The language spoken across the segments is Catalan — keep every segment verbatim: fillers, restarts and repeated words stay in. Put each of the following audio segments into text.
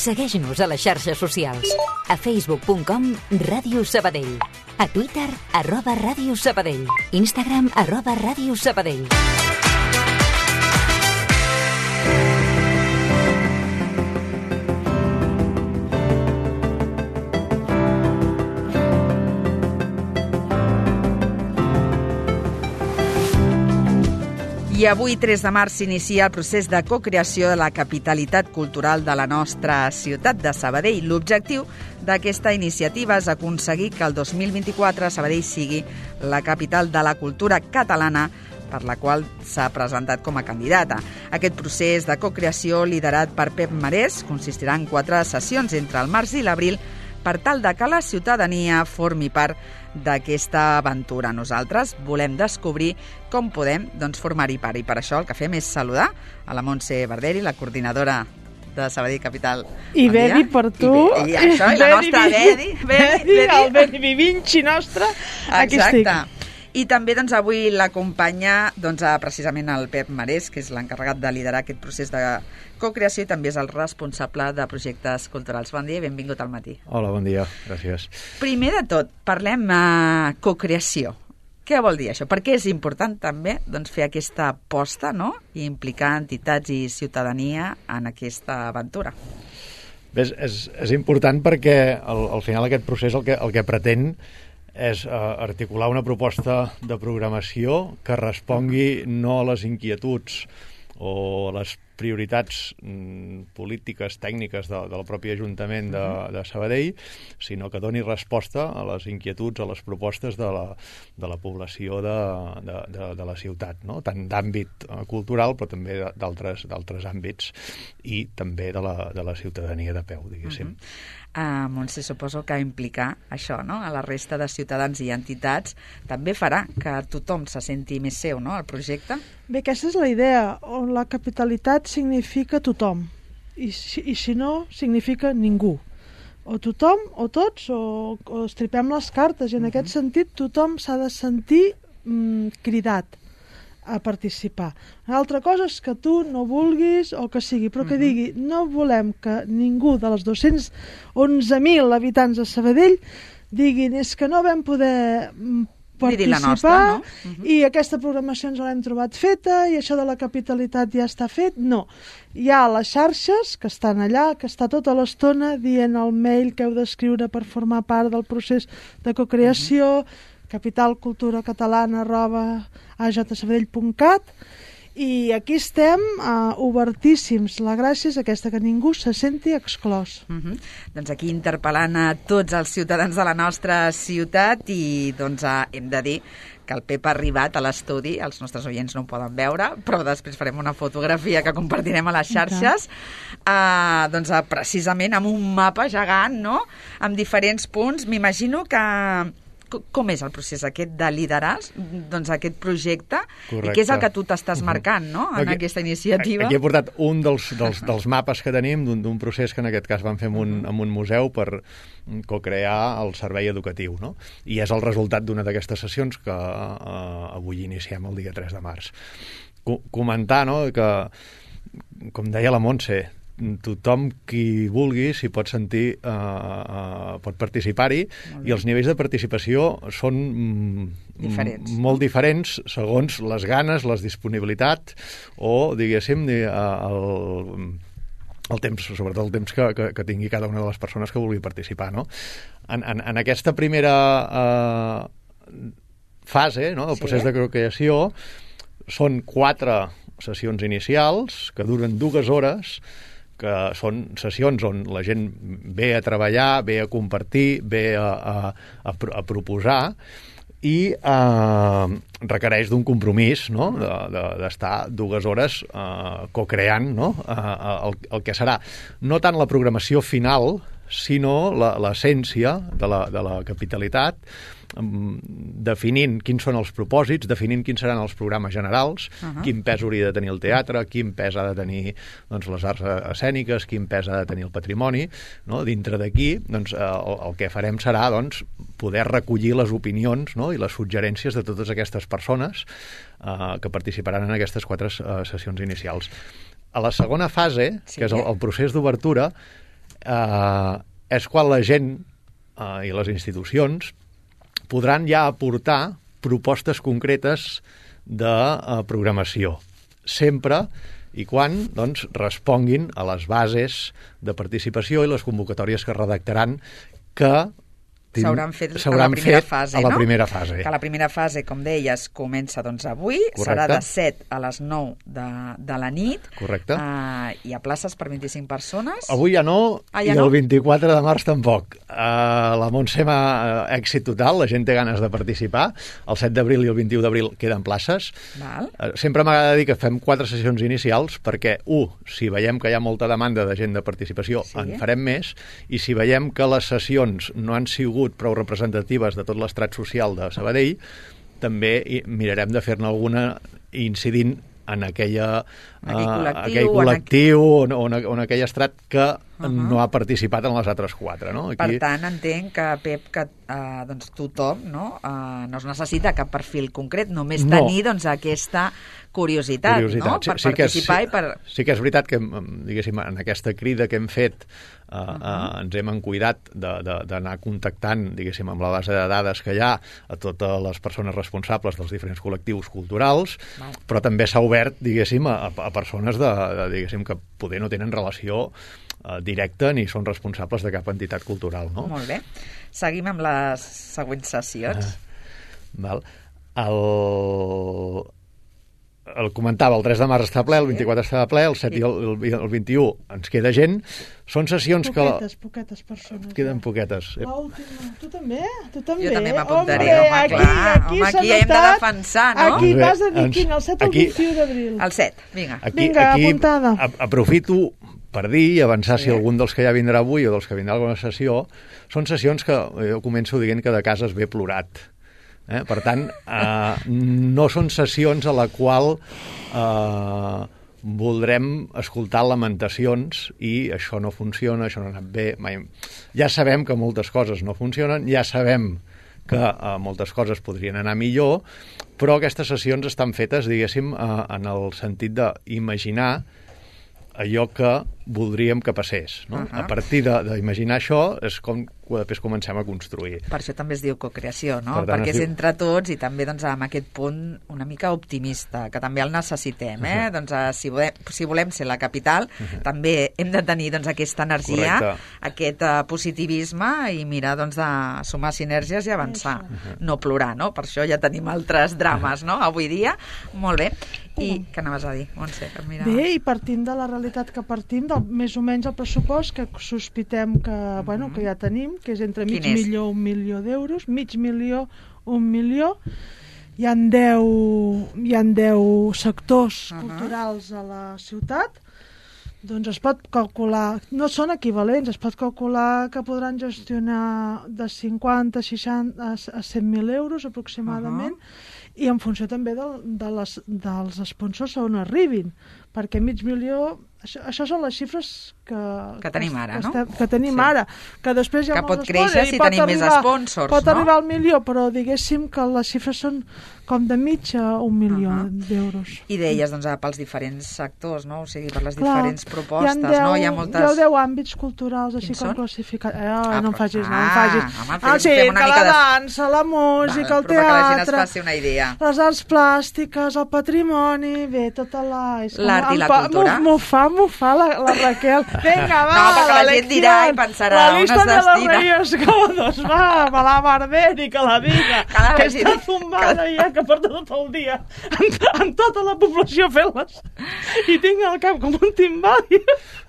Segueix-nos a les xarxes socials. A facebook punt com Ràdio Sabadell. A Twitter, arroba Ràdio Sabadell. Instagram, arroba Ràdio Sabadell. I avui, tres de març, s'inicia el procés de cocreació de la capitalitat cultural de la nostra ciutat de Sabadell. L'objectiu d'aquesta iniciativa és aconseguir que el dos mil vint-i-quatre Sabadell sigui la capital de la cultura catalana, per la qual s'ha presentat com a candidata. Aquest procés de cocreació, liderat per Pep Marès, consistirà en quatre sessions entre el març i l'abril per tal de que la ciutadania formi part d'aquesta aventura. Nosaltres volem descobrir com podem doncs, formar-hi part, i per això el que fem és saludar a la Montse Barderi, la coordinadora de Sabadell Capital. I Bedi per tu. I, i això, i la nostra Bedi. Bedi, el Bedi Vivinci nostre. Aquí estic. Exacte. I també doncs, avui l'acompanya doncs, precisament el Pep Marès, que és l'encarregat de liderar aquest procés de cocreació i també és el responsable de projectes culturals. Bon dia i benvingut al matí. Hola, bon dia, gràcies. Primer de tot, parlem de uh, cocreació. Què vol dir això? Per què és important també doncs, fer aquesta aposta, no? I implicar entitats i ciutadania en aquesta aventura? Bé, és, és, és important perquè al, al final aquest procés el que, el que pretén és uh, articular una proposta de programació que respongui no a les inquietuds o a les prioritats mm, polítiques, tècniques de, del propi Ajuntament de, de Sabadell, sinó que doni resposta a les inquietuds, a les propostes de la, de la població de, de, de, de la ciutat, no? Tant d'àmbit uh, cultural, però també d'altres d'altres àmbits, i també de la, de la ciutadania de peu, diguéssim. Uh-huh. Uh, Montse, suposo que implicar això, no?, a la resta de ciutadans i entitats també farà que tothom se senti més seu, no?, el projecte. Bé, aquesta és la idea, on la capitalitat significa tothom, i si, i si no, significa ningú. O tothom, o tots, o, o estripem les cartes, i en uh-huh. aquest sentit tothom s'ha de sentir mm, cridat a participar. Una altra cosa és que tu no vulguis o que sigui, però que uh-huh. digui, no volem que ningú de les dos-cents onze mil habitants de Sabadell diguin, és que no vam poder participar, la nostra, no? uh-huh. i aquesta programació ens l'hem trobat feta i això de la capitalitat ja està fet. No. Hi ha les xarxes que estan allà, que està tota l'estona dient el mail que heu d'escriure per formar part del procés de cocreació, uh-huh. capitalculturacatalana arroba a j sabadell punt cat, i aquí estem uh, obertíssims. La gràcia és aquesta, que ningú se senti exclòs. Uh-huh. Doncs aquí interpel·lant a tots els ciutadans de la nostra ciutat, i doncs uh, hem de dir que el Pep ha arribat a l'estudi, els nostres oients no ho poden veure, però després farem una fotografia que compartirem a les xarxes, uh, doncs uh, precisament amb un mapa gegant, no?, amb diferents punts. M'imagino que com és el procés aquest de liderar doncs, aquest projecte? Correcte. I què és el que tu t'estàs marcant, no?, en aquí, aquesta iniciativa? Aquí he portat un dels, dels, dels mapes que tenim d'un procés que en aquest cas vam fer en un, en un museu per cocrear el servei educatiu, no? I és el resultat d'una d'aquestes sessions que uh, avui iniciem el dia tres de març. Co- comentar, no?, que, com deia la Montse, tothom qui vulgui s'hi pot sentir, uh, uh, pot participar-hi, i els nivells de participació són mm, diferents, molt no? diferents segons les ganes, les disponibilitats o, diguéssim, el, el temps, sobretot el temps que, que, que tingui cada una de les persones que vulgui participar, no? En, en, en aquesta primera uh, fase, no?, del sí. procés de cocreació, són quatre sessions inicials que duren dues hores, que són sessions on la gent ve a treballar, ve a compartir, ve a, a, a, a proposar, i eh, requereix d'un compromís, no?, d'estar de, de, dues hores eh, cocreant, no?, eh, el, el que serà no tant la programació final, sinó l'essència de, la, de la capitalitat, definint quins són els propòsits, definint quins seran els programes generals, uh-huh. quin pes hauria de tenir el teatre, quin pes ha de tenir doncs, les arts escèniques, quin pes ha de tenir el patrimoni, no? Dintre d'aquí doncs, el, el que farem serà doncs, poder recollir les opinions, no?, i les suggerències de totes aquestes persones eh, que participaran en aquestes quatre eh, sessions inicials. A la segona fase, sí, que és el, el procés d'obertura, eh, és quan la gent eh, i les institucions podran ja aportar propostes concretes de uh, programació, sempre i quan doncs, responguin a les bases de participació i les convocatòries que redactaran que s'hauran fet a la primera fet fase, a la no? primera fase. Que la primera fase, com deies, comença doncs avui, Correcte. Serà de set a les nou de, de la nit. Correcte. Uh, hi ha places per vint-i-cinc persones. Avui ja no, ah, ja i no? el vint-i-quatre de març tampoc. Uh, la Montse m'ha uh, èxit total, la gent té ganes de participar. El set d'abril i el vint-i-u d'abril queden places. Val. Uh, sempre m'agrada dir que fem quatre sessions inicials perquè, u, si veiem que hi ha molta demanda de gent de participació, sí. en farem més, i si veiem que les sessions no han sigut prou representatives de tot l'estrat social de Sabadell, també mirarem de fer-ne alguna incidint en aquella, aquell uh, col·lectiu, aquell col·lectiu en... o, o, en, o en aquell estrat que uh -huh. no ha participat en les altres quatre. No? Aquí... Per tant, entenc que, Pep, que uh, doncs, tothom no, uh, no es necessita cap perfil concret, només no. tenir doncs, aquesta curiositat, curiositat. no? per sí, sí participar és, i per... Sí que és veritat que, diguéssim, en aquesta crida que hem fet uh, uh -huh. uh, ens hem cuidat d'anar contactant, diguéssim, amb la base de dades que hi ha a totes les persones responsables dels diferents col·lectius culturals, Val. però també s'ha obert, diguéssim, a, a persones de, de, diguéssim, que poder no tenen relació uh, directa ni són responsables de cap entitat cultural. No? Molt bé. Seguim amb les següents sessions. Uh, val. El... el comentava, el tres de març està ple, el vint-i-quatre està ple, el set sí. i el, el, el vint-i-u ens queda gent. Són sessions poquetes, que... Poquetes persones. Queden ja. poquetes. L'última. Tu també? Tu també? Jo també m'apuntaré, home, home, aquí, clar. Aquí, home, aquí hem de defensar, no? Aquí Bé, vas a dir, ens, quin, el set o el aquí, vint-i-u d'abril? El set, vinga. Aquí, Vinga, aquí apuntada. A, aprofito per dir i avançar Sí. si algun dels que ja vindrà avui o dels que vindrà a alguna sessió, són sessions que jo començo dient que de casa es ve plorat. Eh? Per tant, eh, no són sessions a la qual eh, voldrem escoltar lamentacions i això no funciona, això no ha anat bé. Mai. Ja sabem que moltes coses no funcionen, ja sabem que eh, moltes coses podrien anar millor, però aquestes sessions estan fetes, diguéssim, eh, en el sentit d'imaginar allò que voldríem que passés. No? Uh -huh. A partir d'imaginar això és com després comencem a construir. Per això també es diu cocreació, no? Per tant, Perquè és diu... entre tots i també doncs, amb aquest punt una mica optimista, que també el necessitem. Eh? Uh -huh. doncs, uh, si, volem, si volem ser la capital, uh -huh. també hem de tenir doncs, aquesta energia, Correcte. aquest uh, positivisme i mirar doncs, de sumar sinergies i avançar. Uh -huh. No plorar, no? Per això ja tenim altres drames, no? Avui dia. Molt bé. I què anaves a dir, Montse? Mira... Bé, i partint de la realitat que partim, del, més o menys el pressupost que sospitem que, uh-huh. bueno, que ja tenim, que és entre mig milió i un milió d'euros, mig milió, un milió, hi ha deu, hi ha deu sectors uh-huh. culturals a la ciutat, doncs es pot calcular, no són equivalents, es pot calcular que podran gestionar de cinquanta, seixanta a cent mil euros aproximadament, uh-huh. i en funció també de, de les, dels sponsors on arribin, perquè mig milió, això, això són les xifres que, que tenim ara, que, no? estem, que tenim sí. ara, que després hi ha que pot molts créixer si tenim arribar, més sponsors, pot no? arribar al milió, però diguéssim que les xifres són com de mig a un milió uh -huh. d'euros. I deies, doncs, pels diferents sectors, no? O sigui, per les Clar, diferents propostes, hi deu, no? Hi ha moltes... Hi ha deu àmbits culturals, així Quins com són? classificats. Eh, Ah, no em però- facis, no em ah, facis. home, fem- El fem circ, una la mica de- dansa, la música, Val, el però que la gent es teatre, faci una idea. les arts plàstiques, el patrimoni, bé, tota la... és com- L'art i la em fa- cultura. M'ho fa, m'ho fa la, la Raquel. Vinga, va, No, perquè la gent lección. dirà i pensarà, la on lista es de los destina? Reyes Godos, va, me la Barberi, que la diga, Cada que vegada està dic- zumbada ja, que porta tot el dia amb, amb tota la població fent-les. I tinc el cap com un timbal.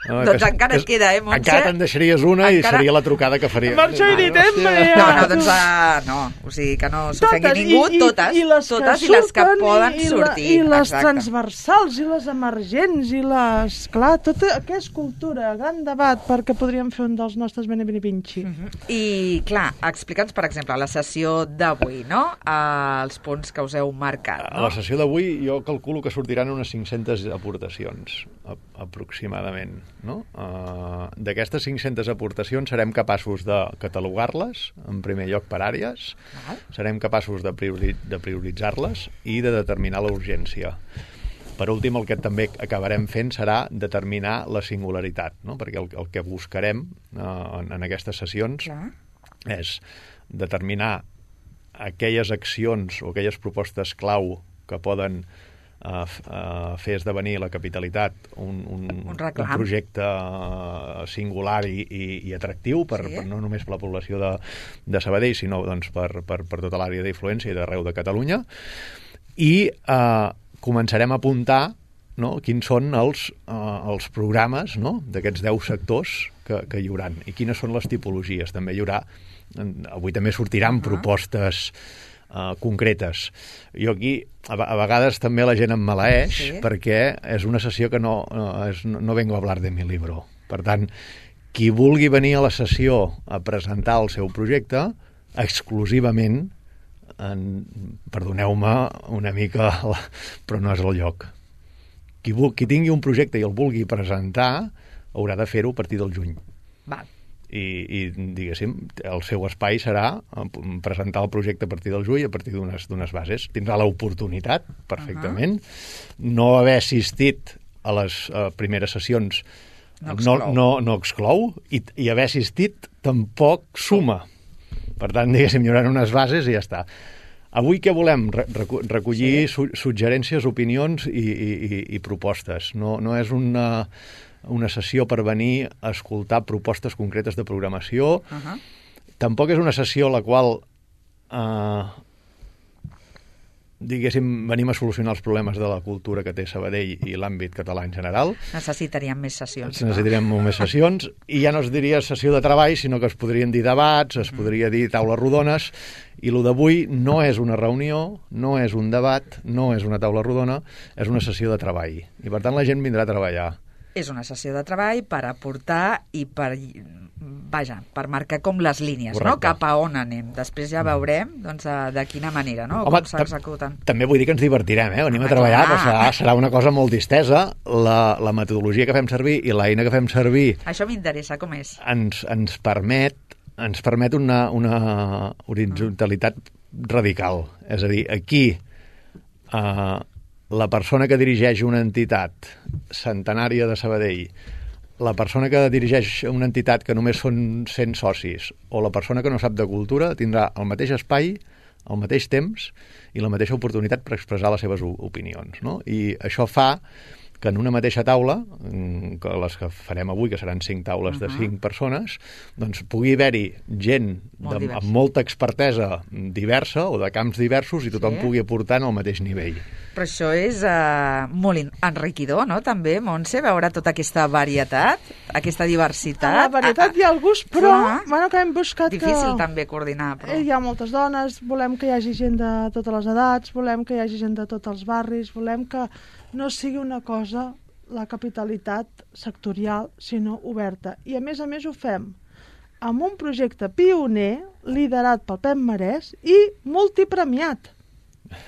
No, Doncs que- encara et que- queda, eh, Montse? Encara te'n deixaries una Encara- i seria la trucada que faria. Per això he dit, eh, Hòstia. No, no, doncs uh, no, o sigui que no s'ofengui Totes, ningú, i- i- totes, i les totes que i les que surten, poden i, i sortir. I les exacte. transversals, i les emergents, i les... Clar, tota aquesta cultura, gran debat, perquè podríem fer un dels nostres Bene Bene Vinci. Uh -huh. I, clar, explica'ns, per exemple, la sessió d'avui, no? Uh, els punts que us heu marcat, A no? la sessió d'avui jo calculo que sortiran unes cinc-centes aportacions, a, aproximadament. No? Uh, D'aquestes cinc-centes aportacions serem capaços de catalogar-les, en primer lloc per àrees, Val. serem capaços de, priori de prioritzar-les i de determinar la urgència. Per últim, el que també acabarem fent serà determinar la singularitat, no? Perquè el, el que buscarem eh, en, en aquestes sessions Clar. és determinar aquelles accions o aquelles propostes clau que poden uh, uh, fer esdevenir la capitalitat un, un, Un un reclam. projecte uh, singular i, i, i atractiu, per, Sí. per, no només per la població de, de Sabadell, sinó doncs, per, per, per tota l'àrea d'influència i d'arreu de Catalunya. I uh, començarem a apuntar, no, quins són els, uh, els programes, no, d'aquests deu sectors que, que hi haurà i quines són les tipologies. També hi haurà, avui també sortiran uh-huh. propostes uh, concretes. Jo aquí, a, a vegades també la gent em maleeix Sí. perquè és una sessió que no, no, és, no vengo a hablar de mi libro. Per tant, qui vulgui venir a la sessió a presentar el seu projecte, exclusivament, en, perdoneu-me una mica, però no és el lloc. Qui, vul, qui tingui un projecte i el vulgui presentar haurà de fer-ho a partir del juny. Val. I, i diguéssim, el seu espai serà presentar el projecte a partir del juny, a partir d'unes d'unes bases. Tindrà l'oportunitat, perfectament. Uh-huh. No haver assistit a les uh, primeres sessions No no, exclou. no, no exclou, i, i haver assistit tampoc suma. Per tant, diguéssim, hi haurà unes bases i ja està. Avui què volem? Re recollir sí. su suggerències, opinions i, i, i, i propostes. No, no és una, una sessió per venir a escoltar propostes concretes de programació. Uh-huh. Tampoc és una sessió a la qual eh, diguéssim, venim a solucionar els problemes de la cultura que té Sabadell i l'àmbit català en general. Necessitaríem més sessions. Necessitaríem molt més sessions, i ja no es diria sessió de treball, sinó que es podrien dir debats, es podria dir taules rodones, i el d'avui no és una reunió, no és un debat, no és una taula rodona, és una sessió de treball. I per tant la gent vindrà a treballar. És una sessió de treball per aportar i per, vaja, per marcar com les línies, Correcte. no? Cap a on anem. Després ja veurem doncs, de quina manera, no? Home, com s'executen. També vull dir que ens divertirem, eh? Venim Home, a treballar, clar. però serà, serà una cosa molt distesa. La, la metodologia que fem servir i l'eina que fem servir Això m'interessa, com és? ens, ens permet ens permet una, una horitzontalitat radical. És a dir, aquí eh, la persona que dirigeix una entitat centenària de Sabadell, la persona que dirigeix una entitat que només són cent socis, o la persona que no sap de cultura, tindrà el mateix espai, al mateix temps i la mateixa oportunitat per expressar les seves opinions, no? I això fa que en una mateixa taula, que les que farem avui, que seran cinc taules uh-huh. de cinc persones, doncs pugui haver-hi gent Molt de, diversa. amb molta expertesa diversa o de camps diversos i tothom Sí. pugui aportar en el mateix nivell. Però això és uh, molt enriquidor, no?, també, Montse, veure tota aquesta varietat, aquesta diversitat. A la varietat hi ha el gust, però Clar. bueno, que hem buscat Difícil que... també coordinar, però... Eh, Hi ha moltes dones, volem que hi hagi gent de totes les edats, volem que hi hagi gent de tots els barris, volem que no sigui una cosa, la capitalitat sectorial, sinó oberta. I a més a més ho fem amb un projecte pioner, liderat pel Pep Marès i multipremiat.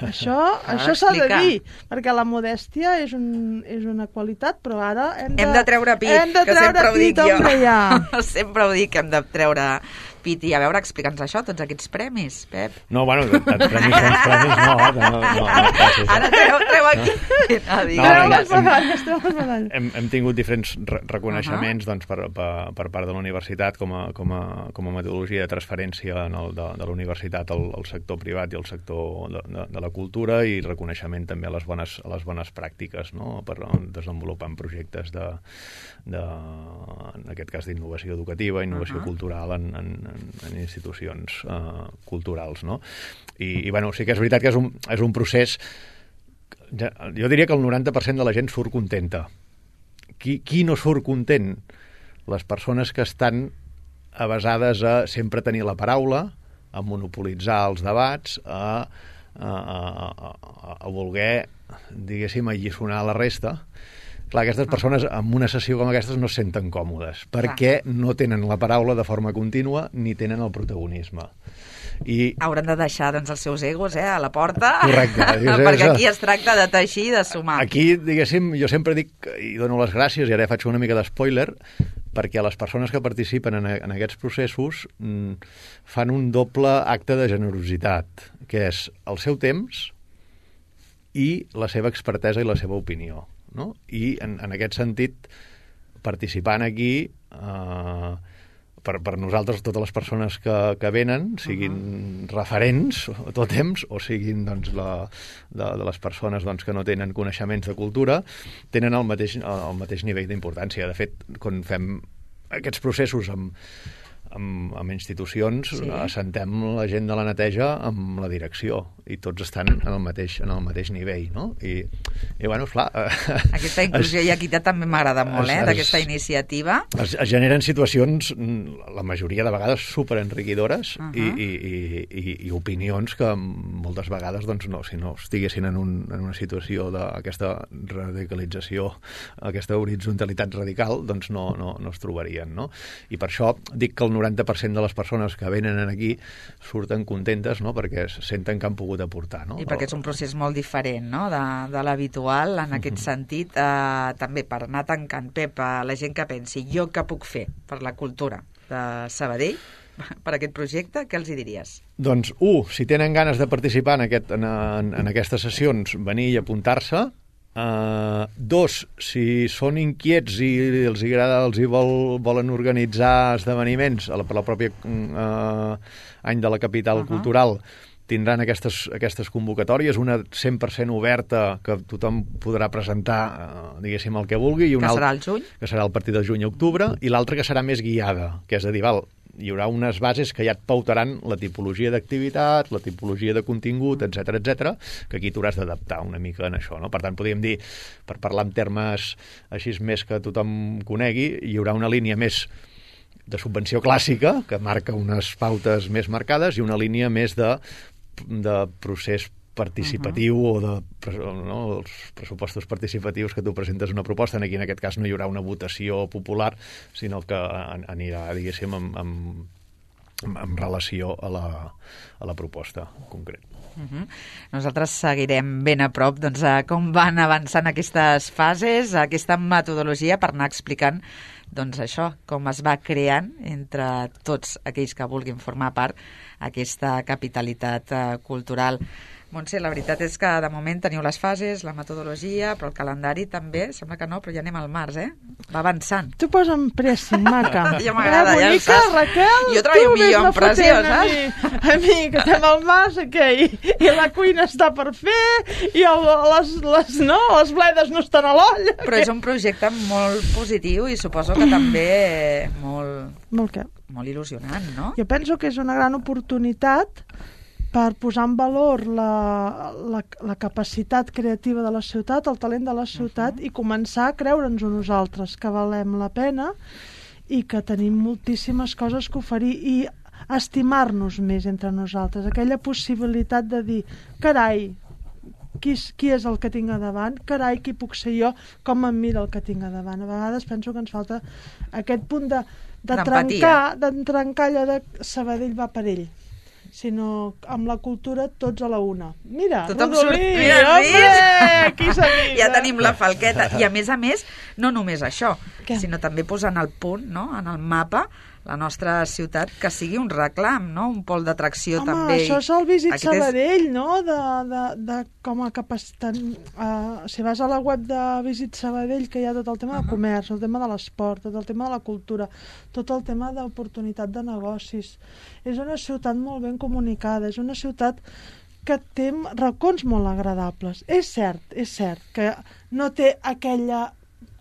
Això, això s'ha de explicar. dir, perquè la modèstia és, un, és una qualitat, però ara hem de, Hem de treure pit, hem de que treure sempre ho dic pit, jo. hombre, ja. Sempre ho dic, hem de treure pit. I a veure, explica'ns això, tots aquests premis, Pep. No, bueno, de, de premis són premis, no, no, no, no, no Ara treu, treu aquí. No, digues, No, Treu no, les digues. medalles, treu les medalles. hem, hem tingut diferents re reconeixements uh -huh. doncs, per, per, per part de la universitat com a, com, a, com a metodologia de transferència en el, de, de la universitat al, al sector privat i al sector de, de, de la cultura, i reconeixement també a les bones, a les bones pràctiques, no?, per desenvolupar projectes de, de, en aquest cas d'innovació educativa, innovació uh -huh. cultural en, en, en institucions uh, culturals, no? I, i bueno, sí que és veritat que és un, és un procés. Jo diria que el noranta per cent de la gent surt contenta. Qui, qui no surt content? Les persones que estan avesades a sempre tenir la paraula, a monopolitzar els debats, a, a, a, a, a voler, diguéssim, alliçonar la resta. Clar, aquestes persones en una sessió com aquestes no es senten còmodes, perquè no tenen la paraula de forma contínua ni tenen el protagonisme. I Hauran de deixar doncs, els seus egos eh, a la porta. Correcte. Perquè aquí es tracta de teixir i de sumar. Aquí, diguéssim, jo sempre dic, i dono les gràcies, i ara ja faig una mica d'espoiler, perquè les persones que participen en, en aquests processos mm, fan un doble acte de generositat, que és el seu temps i la seva expertesa i la seva opinió, no? I en, en aquest sentit, participant aquí, eh, per, per nosaltres, totes les persones que, que venen, siguin uh-huh. referents a tot temps, o siguin doncs, la, de, de les persones doncs, que no tenen coneixements de cultura, tenen el mateix, el mateix nivell d'importància. De fet, quan fem aquests processos amb amb, amb institucions, sí. assentem la gent de la neteja amb la direcció i tots estan en el mateix, en el mateix nivell, no? I, i bueno, esclar... Aquesta inclusió es, i equitat també m'agrada molt, eh, d'aquesta iniciativa. Es, es generen situacions, la majoria de vegades, superenriquidores uh-huh. i, i, i, i opinions que moltes vegades, doncs, no, si no estiguessin en, un, en una situació d'aquesta radicalització, aquesta horitzontalitat radical, doncs no, no, no es trobarien, no? I per això dic que el noranta per cent de les persones que venen aquí surten contentes, no?, perquè senten que han pogut aportar, no? I perquè és un procés molt diferent, no?, de, de l'habitual, en aquest uh-huh. sentit. Eh, també per anar tancant, Pep, a la gent que pensi, jo què puc fer per la cultura de Sabadell, per aquest projecte, què els hi diries? Doncs, u, si tenen ganes de participar en, aquest, en, en, en aquestes sessions, venir i apuntar-se. Uh, dos, si són inquiets i els agrada, els hi vol, volen organitzar esdeveniments a la, per la pròpia uh, any de la capital uh-huh. cultural, tindran aquestes, aquestes convocatòries, una cent per cent oberta que tothom podrà presentar, uh, diguéssim, el que vulgui, i una que serà al juny, que serà a partir del juny a octubre, i l'altra que serà més guiada, que és a dir, val, hi haurà unes bases que ja et pautaran la tipologia d'activitat, la tipologia de contingut, etcètera, etcètera, que aquí t'hauràs d'adaptar una mica en això, no? Per tant, podríem dir, per parlar en termes així més que tothom conegui, hi haurà una línia més de subvenció clàssica, que marca unes pautes més marcades, i una línia més de, de procés participatiu uh-huh. o de no, els pressupostos participatius que tu presentes una proposta. Aquí en aquest cas no hi haurà una votació popular, sinó que anirà, diguéssim, amb, amb, amb relació a la, a la proposta concreta. Uh-huh. Nosaltres seguirem ben a prop doncs, a com van avançant aquestes fases, aquesta metodologia per anar explicant doncs això, com es va creant entre tots aquells que vulguin formar part aquesta capitalitat uh, cultural. Montse, la veritat és que de moment teniu les fases, la metodologia, però el calendari també, sembla que no, però ja anem al març, eh? Va avançant. Tu posa'm pressing, maca. Ja m'agrada, ja ho saps. Raquel, jo treballo millor en pressió, saps? A mi, a mi, que estem al març, que i, i la cuina està per fer, i el, les, les, no, les bledes no estan a l'olla. Però és un projecte molt positiu i suposo que també molt, molt, què? molt il·lusionant, no? Jo penso que és una gran oportunitat per posar en valor la, la, la capacitat creativa de la ciutat, el talent de la ciutat, uh-huh. i començar a creure'ns-ho nosaltres, que valem la pena i que tenim moltíssimes coses que oferir, i estimar-nos més entre nosaltres. Aquella possibilitat de dir, carai, qui és, qui és el que tinc a davant? Carai, qui puc ser jo? Com em mira el que tinc a davant? A vegades penso que ens falta aquest punt de, de trencar, de trencar allò de Sabadell va per ell, sinó amb la cultura tots a la una. Mira, tothom Rodolí, surt, mira, home, aquí s'avisa. Ja tenim la falqueta. I a més a més, no només això, Què? sinó també posant el punt, no?, en el mapa, la nostra ciutat, que sigui un reclam, no?, un pol d'atracció Home, també. això és el Visit Aquest Sabadell, és... no?, de, de, de com a capacitat... Uh, si vas a la web de Visit Sabadell, que hi ha tot el tema uh-huh. de comerç, el tema de l'esport, tot el tema de la cultura, tot el tema d'oportunitat de negocis. És una ciutat molt ben comunicada, és una ciutat que té racons molt agradables. És cert, és cert que no té aquella,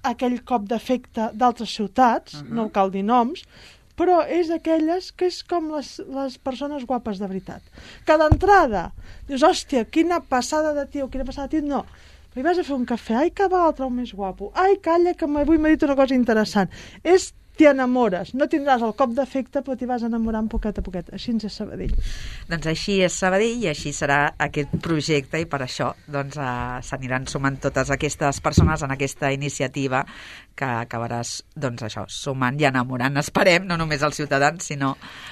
aquell cop d'efecte d'altres ciutats, uh-huh. no cal dir noms, però és aquelles que és com les, les persones guapes de veritat. Que d'entrada dius, hòstia, quina passada de tio, quina passada de tio, no. Però hi vas a fer un cafè, ai, que va l'altre el més guapo, ai, calla, que avui m'ha dit una cosa interessant. És t'hi enamores, no tindràs el cop d'efecte, però t'hi vas enamorant poquet a poquet. Així és Sabadell. Doncs així és Sabadell i així serà aquest projecte, i per això doncs, uh, s'aniran sumant totes aquestes persones en aquesta iniciativa que acabaràs, doncs això, sumant i enamorant, esperem, no només als ciutadans, sinó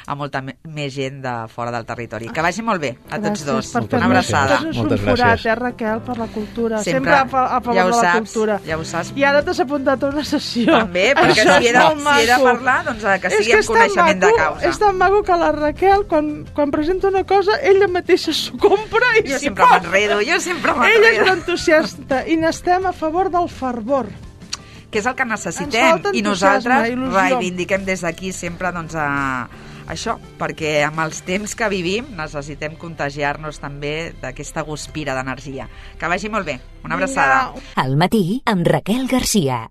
a molta més gent de fora del territori. Que vagi molt bé a tots dos. Una abraçada. Moltes gràcies, eh, Raquel, per la cultura. Sempre, Sempre a, a favor ja de la saps, cultura. Ja ho saps. I ara t'has apuntat a una sessió. També, perquè si he de, si he de parlar, doncs que sigui en coneixement de causa. És tan maco que la Raquel, quan, quan presenta una cosa, ella mateixa s'ho compra i jo s'hi sempre m'enredo, jo sempre m'enredo. Ella és una entusiasta i n'estem a favor del fervor. Que és el que necessitem, i nosaltres reivindiquem des d'aquí sempre doncs, a, això, perquè amb els temps que vivim necessitem contagiar-nos també d'aquesta guspira d'energia. Que vagi molt bé. Una abraçada. Al matí amb Raquel Garcia.